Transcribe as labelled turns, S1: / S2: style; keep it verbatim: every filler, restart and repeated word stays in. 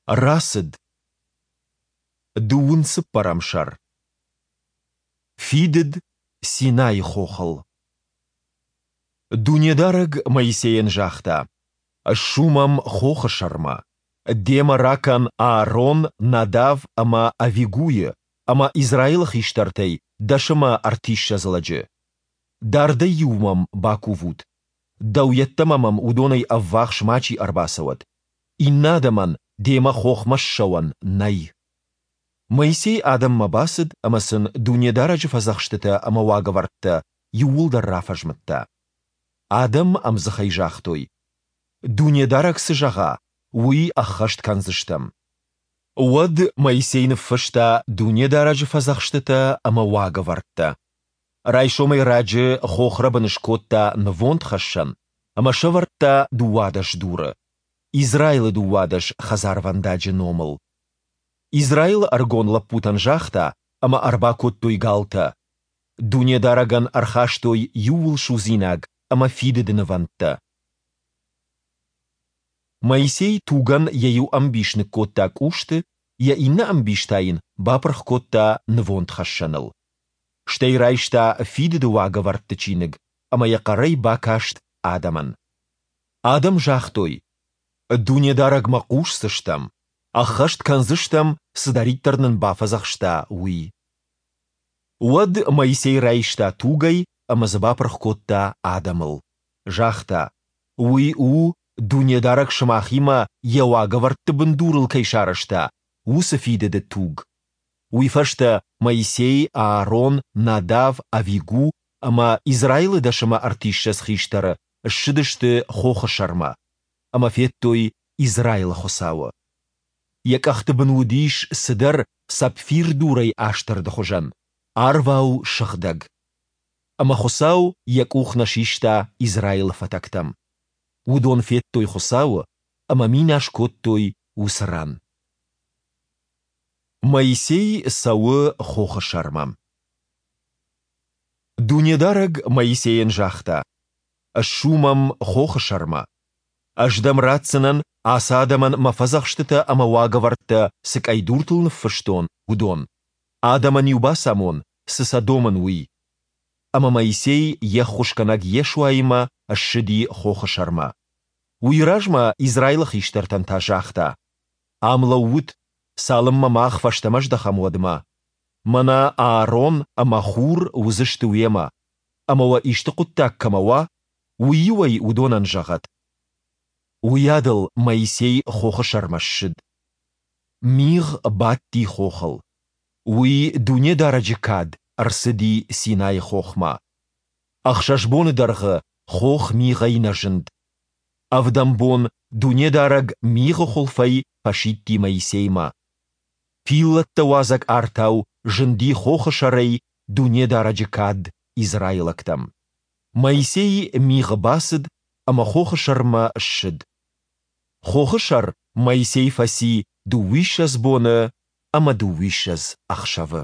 S1: Рацыд. Дыууын цыппӕрӕм сӕр. Фидыд Синайы хохыл. Дунедарӕг Моисейӕн загъта: «Ссу мӕм хохы сӕрмӕ. Демӕ ракӕн Аарон, Надав ӕмӕ Авигуйы ӕмӕ Израилы хистӕртӕй дӕс ӕмӕ ӕртиссӕдз лӕджы. Дардӕй-иу мӕм бакувут. Дӕу йеддӕмӕ мӕм уыдонӕй ӕввахс мачи ӕрбацӕуӕд. Иннӕ адӕмӕн демӕ хохмӕ ссӕуӕн нӕй». Моисей адӕммӕ бацыд ӕмӕ сын Дунедарӕджы фӕдзӕхстытӕ ӕмӕ уагӕвӕрдтӕ иууылдӕр рафӕзмыдта. Адӕм ӕмдзыхӕй загътой: Дунедарӕг цы зӕгъа, уый ӕххӕст кӕндзыстӕм. Уӕд Моисей ныффыста Дунедарӕджы фӕдзӕхстытӕ ӕмӕ уагӕвӕрдтӕ. Райсомӕй раджы хохрӕбын скодта нывондхӕссӕн ӕмӕ сӕвӕрдта дыууадӕс дуры, Израилы дыууадӕс хӕдзарвӕндаджы номыл. Израилы ӕрыгон лӕппутӕн загъта, ӕмӕ ӕрбакодтой галтӕ. Дунедарӕгӕн ӕрхастой иууылсудзинаг ӕмӕ фидыды нывӕндтӕ. Моисей тугӕн йӕ иу ӕмбис ныккодта къусты, йӕ иннӕ ӕмбис та йын бапырх кодта нывондхӕссӕныл. Стӕй райста фидыды уагӕвӕрдты чиныг ӕмӕ йӕ хъӕрӕй бакаст адӕмӕн. Адӕм загътой: Дунедарӕгмӕ хъусдзыстӕм, ӕххӕст кӕндзыстӕм, цыдӕриддӕр нын бафӕдзӕхста, уый. Уӕд Моисей райста тугӕй ӕмӕ дзы бапырх кодта адӕмыл. Загъта: Уый у, Дунедарӕг сымахимӕ Йӕ уагӕвӕрдты бындурыл кӕй сарӕзта, уыцы фидыды туг. Уый фӕстӕ Моисей, Аарон, Надав, Авигу ӕмӕ Израилы дӕс ӕмӕ ӕртиссӕдз хистӕры ссыдысты хохы сӕрмӕ ӕмӕ федтой Израилы Хуыцауы. Йӕ къӕхты бын уыдис цыдӕр сапфирдурӕй астӕрды хуызӕн, арвау сыгъдӕг. Ӕмӕ Хуыцау йӕ къух нӕ систа Израилы фӕтӕгтӕм. Уыдон федтой Хуыцауы ӕмӕ минас кодтой уыцы ран. Моисей цӕуы хохы сӕрмӕ. Дунедарӕг Моисейӕн загъта: «Ссу мӕм хохы сӕрмӕ. Ӕз дӕм ратдзынӕн, ацы адӕмӕн мӕ фӕдзӕхстытӕ ӕмӕ уагӕвӕрдтӕ цы къӕйдуртыл ныффыстон, уыдон. Адӕмӕн-иу бацамон, цы сӕ домын, уый». Ӕмӕ Моисей йе ххуысгӕнӕг Йешуаимӕ ссыди хохы сӕрмӕ. Уый размӕ Израилы хистӕртӕн та загъта: «Ам лӕуут, цалынмӕ мах фӕстӕмӕ здӕхӕм, уӕдмӕ. Мӕнӕ Аарон ӕмӕ Хур уыдзысты уемӕ, ӕмӕ уӕ исты хъуыддаг кӕмӕ уа, уый-иу ӕй уыдонӕн зӕгъӕд». Уыйадыл Моисей хохы сӕрмӕ ссыд. Мигъ бадти хохыл. Уый Дунедарӕджы кад ӕрцыди Синайы хохмӕ. Ӕхсӕз боны дӕргъы хох мигъӕй нӕ зынд. Ӕвдӕм бон Дунедарӕг мигъы хуылфӕй фӕсидти Моисеймӕ. Пиллӕттӕ уадзӕг артау зынди хохы сӕрӕй Дунедарӕджы кад израилӕгтӕм. Моисей мигъы бацыд ӕмӕ хохы сӕрмӕ ссыд. Хохы сӕр Моисей фӕци дыууиссӕдз боны ӕмӕ дыууиссӕдз ӕхсӕвы.